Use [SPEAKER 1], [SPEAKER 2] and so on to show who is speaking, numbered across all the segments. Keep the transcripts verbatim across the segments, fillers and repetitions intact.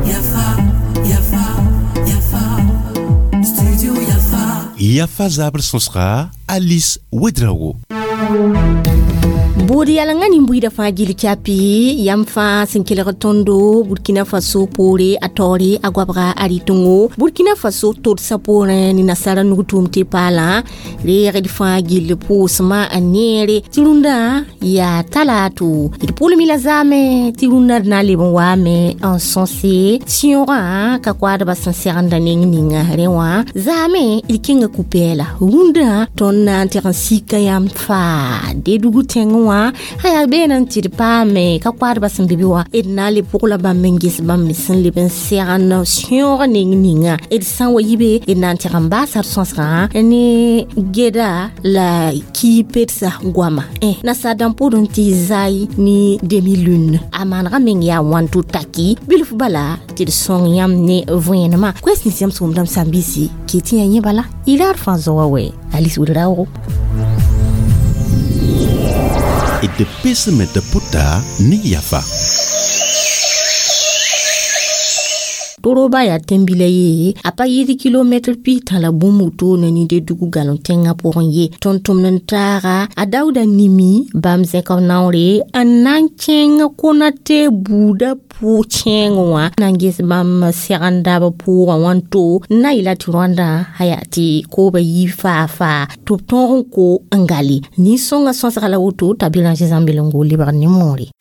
[SPEAKER 1] Yafa, Yafa, Yafa, Studio Yafa.
[SPEAKER 2] Yafa zabr sõsga Alice Ouedraogo.
[SPEAKER 3] Bood yalengã nin-buiidã fãa gill kyapi yãmb fãa sẽn kelg tõndo Burkina Faso poore a taoore a goabga a rɩtẽngo Burkina Faso todsã poorẽ ne nasara nug-tʋʋm tɩ paalã reegd fãa gill pʋʋsmã a neere tɩ rũndã yaa talato d pʋlmi la zaame tɩ rũndã d na n leb n waame n sõse sẽoogã ka koadbã sẽn segenda neng ninga rẽ wã zaame d kẽnga ku-pɛɛla rũndã tõnd na n teg n sika yãmb faa Dedugu tẽngẽ wã aya beene n tɩ d paame ka koadbã sẽn be be wã d na n le pʋgla bãmb n ges bãmb me sẽn leb n segend sẽoog neng ninga d sã n wa yi be d na n teg n baasa d sõsgã ne geda la kiipedsa goama nasaar dãmb pʋʋd n tɩ zai ne demi-lune a maanegã meng yaa wãn tɩ taki bilf bala tɩ d sõng yãmb ne vẽenemã koɛs nins yãmb sʋʋmdame sãn-biisi kɩ tɩ yã yẽ bala y raad fãa zoa wɛ Alice Ouedraogo.
[SPEAKER 2] D pesme de puta ne Yafa.
[SPEAKER 3] Toroba yaa tẽn-bila ye a pa yɩɩd kilomɛtr pis-tã la bũmb woto ne Nidedugu galõ tẽngã pʋgẽ ye tõnd-tʋmd n taaga a Daoda Nimi bãmb zẽk b naoore n na n kẽng Konate buudã pʋ-kẽeng wã na n ges bãmb segenda b pʋʋgã wã n to n na yɩla tɩ rõandã a yaa tɩ kooba yi faa-faa tɩ b tõog n ko n gale nin-sõngã sõsga la woto t'a Béranger Zãmbelengo lebg ne moore.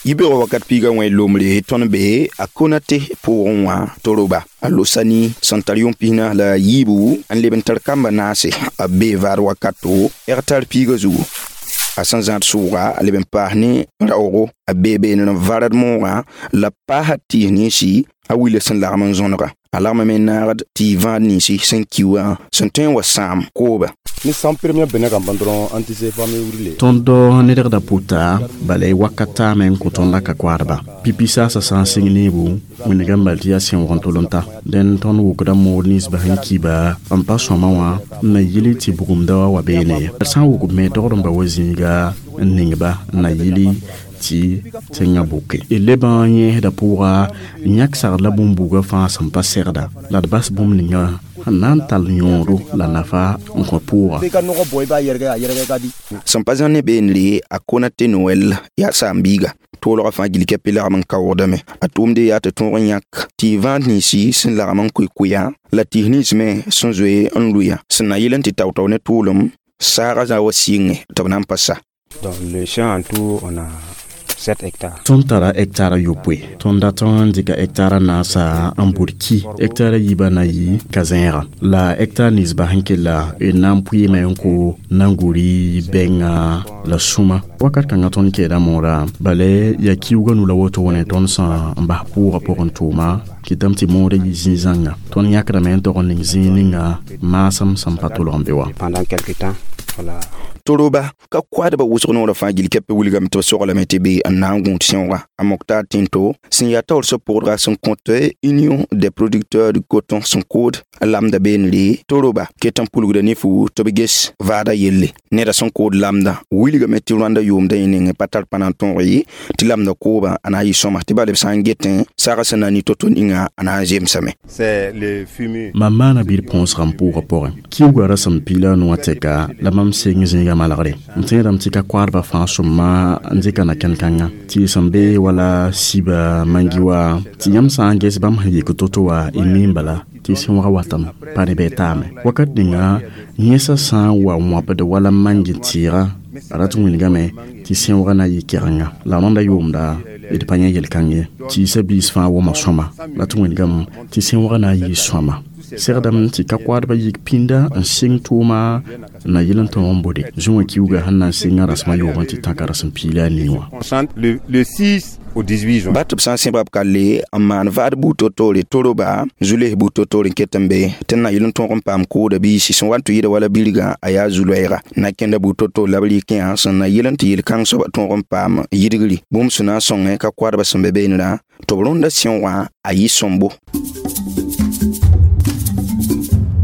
[SPEAKER 4] Yibeoogã wakat piigã wẽ lombre tõnd be a Konate pʋgẽ wã Toroba a losani sẽn tar yʋng pisna la yiibu n leb n tar kamba naase a bee vaad wakato hectar piigã zugu a sẽn zãad sʋʋga a leb n paas ne raoogo a bee beenr n varad moogã la paasa tɩɩs ninsi a wila sẽn lagm n zõnega a lagmame n naagd tɩ vãad ninsi sẽn ki wã sẽn tõe n wa sãam kooba.
[SPEAKER 5] Ni san premier bene kan ban dɔrɔn an tɛ se f'an bɛ wuli le.
[SPEAKER 6] Tõnd nedgda pʋta bala y wakat taame n kõ tõnd la ka koadba pipi saasa sã n sɩng neebu wĩnga n bal tɩ yaa sẽoog n tol n ta dẽn tõnd wʋkda mood ninsbã sẽn kiba n pa sõma wã n na yɩl tɩ bugumda wa wa beene ye d sã n wʋk me dogd n ba wa zĩiga n ningba n na yɩli tɩ tẽngã buke d leb n yẽesda pʋʋga n yãk sagd la bũmb-buugã fãa sẽn pa segda la d bas bũmb ninga n na n tall yõodo la nafa n kõ pʋʋga.
[SPEAKER 4] Sẽn pa zãn ne beenre a Konate Noël yaa saam-biiga toolgã fãa gill kɛpɩ lagm n kaoogdame a tʋʋmde yaa tɩ tõog n yãk tɩ vãad ninsi sẽn lagm n koe-koeya la tɩs nins me sẽn zoe n lʋya sẽn na yɩl n tɩ tao-tao ne tʋʋlem saagã zã wa sɩngẽ tɩ b na n pa sa.
[SPEAKER 7] Donc le champ en tout, on a sept hectares.
[SPEAKER 6] Tõnd tara hectara yopoe tõnd dat n dɩka hectara naasa n bʋd ki hectara yiibã na yɩ ka-zẽega la hectar ninsbã sẽn kella d na n pʋɩɩme n ko nanguri bɛnga la sũma wakat kãngã tõnd keeda moora bala yaa kiuugã nu la woto wẽne tõnd sã n bas pʋʋgã pʋgẽ tʋʋma kɩtame tɩ moodã yɩ zĩ-zãnga tõnd yãkdame n tog n ning zĩig ninga maasem sẽn pa tʋlg n be wã.
[SPEAKER 7] Pendant quelque temps, voilà.
[SPEAKER 4] Toroba ka koadbã wʋsg noorã fãa gill kɛpɛ wilgame tɩ b soglame tɩ be n na n gũud sẽoogã a Moktar Tinto sẽn yaa taoor sã-pʋgdga sẽn kõt Union des producteurs du coton sẽn kood a lamda beenre Toroba ket n pulgda ne fu tɩ b ges vaada yelle neda sẽn kood lamda wilgame tɩ rõanda yʋʋmda yẽ nengẽ pa tar pãna n tõog ye tɩ lamda kooba a na n yɩ sõma tɩ bala b sã n getẽ saga sẽn na n ni to-to ninga a na n zemsame.
[SPEAKER 6] Mam maana bir põosga n pʋʋgã pʋgẽ kiuugã ra sẽn piila a nʋwã tɛka la mam seng zĩigã malgre n tẽedame tɩ ka koadbã fãa sõma n dɩka na-kẽn-kãngã tɩ sẽn be wala siba mangi wa tɩ yãmb sã n ges bãmb sẽn yik to-to wa y miim bala tɩ sẽoogã watame pa ne bɩ taame wakat ninga yẽsã sã n wa wãbd wala mangi tɩɩgã a rat n wilgame tɩ sẽoogã na n yɩ kɛgenga la rõnda yʋʋmda d pa yẽ yel-kãng ye tɩɩsã biis fãa wʋma sõma la tɩ wilgame tɩ sẽoogã na n yɩ sõma segdame tɩ ka koadbã yik pĩnda n sɩng tʋʋma n na yɩl n tõog n bode zũwã kiuugã sẽn na n sɩngã rasem a yoobẽ tɩ tãka rasem piila a nii wã.
[SPEAKER 4] Ba tɩ b sã n sẽba b kalle n maan vaad buud to-toore Toroba zu-les buud to-toore n ket n be tɩ n na yɩl n tõog n paam kooda biisi sẽn wa n tɩ yɩda wala bilgã a yaa zu-loɛɛga na kẽnda buud to-toor la b rɩkẽ sẽn na yɩl n tɩ yel-kãng soaba tõog n paam yidgri bũmb sẽn na n sõngẽ ka koadbã sẽn be beenrã tɩ b rõnda sẽoogã a yɩ sõmbo.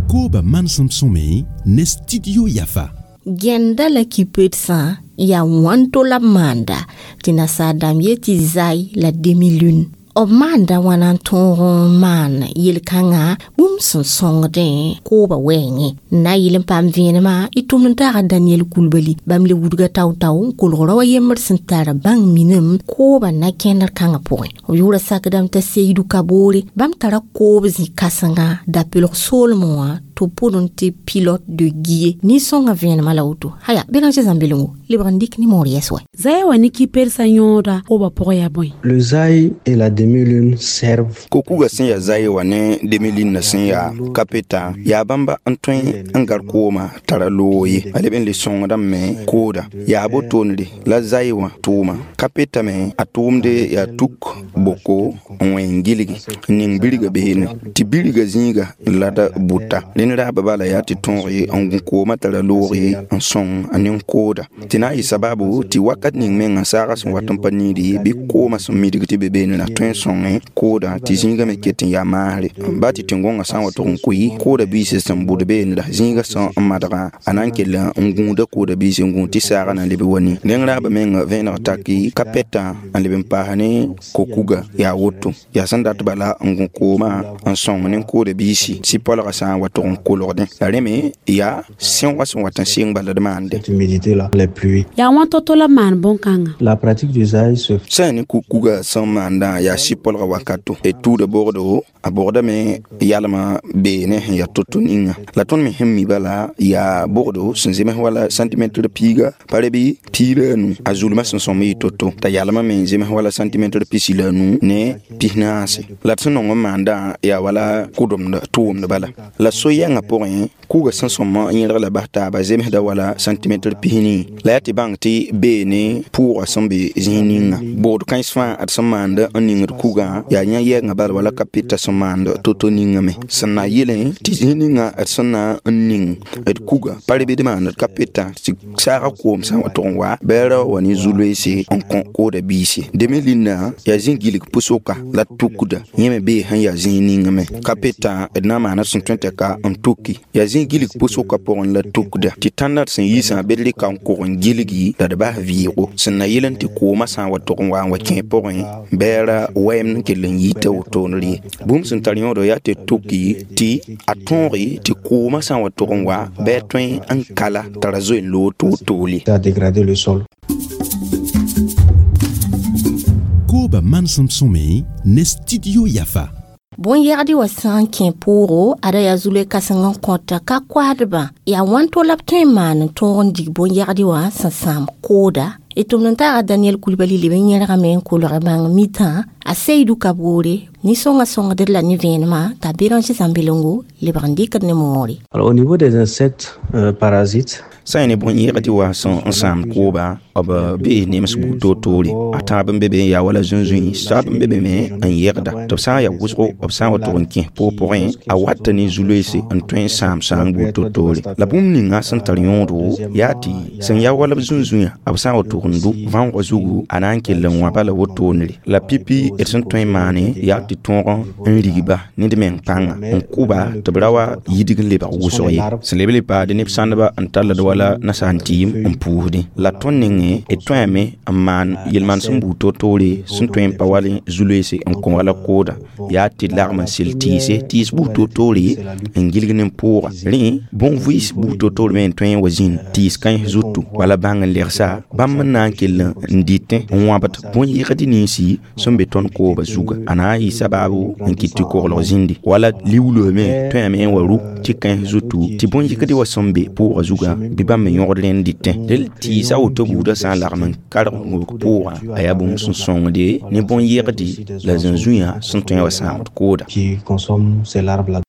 [SPEAKER 2] Kooba manesem sõme ne Studio Yafa.
[SPEAKER 3] Gẽnda la kipedsã Yaa wãnto la b maanda tɩ nasaar-dãmb yet tɩ zai la demi-lune b maanda wãna n tõog n maan yel-kãngã bũmb sẽn sõngdẽ koobã wɛɛngẽ n na n yɩl n paam vẽenemã y tʋmd n taaga Daniel Kulbali bãmb le wudga tao-tao n kolg rao a yembr sẽn tar bãng minim koobã na-kẽndr kãngã pʋgẽ b yʋʋra sakdame t'a Seydou Kaboore bãmb tara koob zĩ-kãsenga dapelg soolmẽ wã tɩ b pʋdẽ tɩ pilote de Guié nin-sõngã vẽenemã la woto haya Béranger Zãmbelengo lebg n dɩk ne moor yɛs wɛ
[SPEAKER 8] zaya wa ne kɩpersa yõoda koobã pʋgẽ yaa bõe.
[SPEAKER 9] Le zaï et la demi-lune servent
[SPEAKER 4] Kokuga sẽn yaa zai wã ne demi-lune sẽn yaa kapeta yaa bãmba n tõe n gar kooma tara loog ye a leb n le sõngdame kooda yaa botoonre la zai wã tʋʋma kapeta me a tʋʋmde yaa tuk boko n wẽ n gilgi n ning birga beene tɩ birga zĩiga la d bʋta rẽnd raaba bala yaa tɩ tõog ye n gũ koomã tara loog ye n sõng a nin-kooda tɩ na n yɩ sababu tɩ wakat ning mengã saagã sẽn wat n pa niidi ye bɩ koomã sẽn midg tɩ be beene la tõe n sõngẽ kooda tɩ zĩigã me ket n yaa maasre ba tɩ tẽn-gõngã sã n wa tʋg n koe kooda biisã sẽn bʋd beene la zĩigã sẽn n madga a na n kell n gũuda kooda biis n gũud tɩ saagã na n leb wa ni rẽng raaba meng vẽeneg taki ka pɛtã n leb n paas ne kokuga yaa woto yaa sẽn dat bala n gũ koomã n sõng ne kooda biisi sɩ-polgã sã n wa tʋg n kolgdẽ la rẽ me yaa sẽoogã sẽn wat n sɩng bala d maande.
[SPEAKER 9] Cette humidité-là, les pluies.
[SPEAKER 8] Yaa wãn to-to la b maan bõn-kãngã.
[SPEAKER 9] La pratique du zaï se
[SPEAKER 4] sã ne kuga sẽn maandã yaa sɩ-polgã wakato d tuuda bogdo a bogdame yalmã beene sẽn yaa to-to ninga la tõnd me sẽn mi bala yaa bogdo sẽn zems wala centimetre piiga pa re bɩ piig la a nu a zulmã sẽn sõm yɩ to-to t'a yalmã me zems wala centimetre pisi la a nu ne pis naase la d sẽn nong n maandã yaa wala kʋdemd tʋʋmd bala la so-yɛngã pʋgẽ kuga sẽn sõm n yẽlg la bas taaba zemsda wala centimetre pisni la yaa tɩ bãng tɩ beene pʋʋgã sẽn be zĩig ninga bogd kãens fãa d sẽn maand n ningd kugã yaa yã yɛɛngã bala wala ka peta sẽn maand to-to ninga me sẽn na yelẽ tɩ zĩig ninga d sẽn na n ning d kuga pa rebd maand ka peta tɩ saagã koom sã n wa tʋg n wa bɩ ra wa ne zu-loeese n kõ kooda biise deme linna yaa zĩ gilg pʋsoka la tukda yẽ me bee sẽn yaa zĩig ninga me ka peta d na n maana sẽn tõe tɩ ka n tuki yaa zĩ gilg pʋsoka pʋgẽ la tukda tɩ tãnda d sẽn yiisã bɩ d rɩka n kog n gilgi la d bas vɩɩgo sẽn na yel n tɩ koomã sã n wa tʋg n wa n wa kẽ pʋgẽ bɩ ra wɛɛmd n kell n yita wotone ye bũmb sẽn tar yõodo yaa tɩ tuki tɩ a tõoge tɩ koomã sã n wa tʋg n wa bɩ a tõe n kala t'a ra zoe n loog toor-toore.
[SPEAKER 9] À dégrader le sol.
[SPEAKER 2] Koba mansem sõme ne studio Yafa.
[SPEAKER 3] Bõn-yɛgd wa sã n kẽ poogo ada yaa zulɛ kãseng n kõta ka koasdbã yaa wãn-to la b tõe n maan n tõog n dig bõn-yɛgd wã sẽn sãam kooda y tʋmd n taaga Daniel Kulbali leb n yẽrgame n kolg bãng mitã a Seydou Kaboore nin-sõngã sõngd la ne vẽenemã t'a Béranger Zãmbelengo lebg n dɩkd ne moore.
[SPEAKER 9] Alors, au niveau des insectes euh, parasites,
[SPEAKER 4] sã n ne bõn-yẽgd wã sẽn n sãamd kooba b bee nems buud toor-toore a tãab n be be n yaa wala zũnzũi soab n be be me n yegda tɩ b sã n yaa wʋsgo b sã n wa tʋg n kẽ poog pʋgẽ a wata ne zu-loeese n tõe n sãam sãang buud toor-toore la bũmb ninga sẽn tar yõodo yaa tɩ sẽn yaa wala b zũnzũyã b sã n wa tʋg n dʋ vãoogã zugu a na n kell n wãba la wotoonre la pipi d sẽn tõe n maane yaa tɩ tõog n rigba ned meng pãnga n kʋba tɩ b ra wa yidg n lebg wʋsg ye sẽn leb le paade neb sãndba n tall d wala nasaar tɩɩm n puusdẽ la tõnd nengẽ d tõeme n maan yel-manesem buud toor-toore sẽn tõe n pa wal zu-loeese n kõ wala kooda yaa tɩ d lagm n sel tɩɩse tɩɩs buud toor-toore n gilg ne pʋʋga rẽ bõn-vɩɩs buud toor-toor me n tõe n wa zĩnd tɩɩs kãens zutu wala bãng n legsa bãmb n na n kell n dɩtẽ n wãbd bõn-yɩgd ninsi sẽn be tõnd kooba zuga a na n yɩ sababu n kɩt tɩ koglg zĩndi wala liuulsme me tõeme n wa ruk tɩ kãens zutu tɩ bõn-yɩgd wa sẽn be pʋʋga zuga bɩ bãmb me yõgd rẽnd dɩtẽ del tɩɩsa woto buudã sã n lagm n karg n pʋʋga a yaa bũmb sẽn sõngde ne bõn-yegdi la zũnzũyã sẽn tõe n wa sãamd kooda.
[SPEAKER 9] Qui consomment ces larves-là.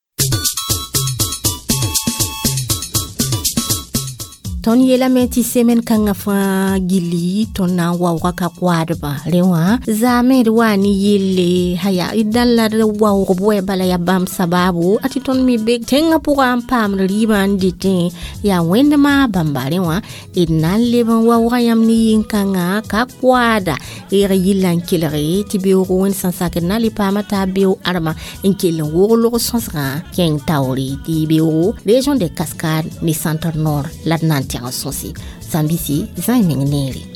[SPEAKER 3] Tõnd yeelame tɩ semen kãngã fãa gilli tõnd na n waooga ka koadbã rẽ wã zaame d waa ne yelle haya d dãn la d waoog bʋɛ bala yaa bãmb sababu a tɩ tõnd me be tẽngã pʋgã n paamd rɩɩbã n dɩtẽ yaa wẽndmã bãmba rẽ wã d na n leb n waooga yãmb ne yĩn-kãngã ka koada reeg yilla n kelge tɩ beoogo wẽnd sẽn sakd na le paama t'a beoog ãrema n kell n wog log sõsgã kẽng taoore tɩ beoogo région de Cascade ne Centre Nord la d na n tẽg sõse. Zambisi zãe meng neere.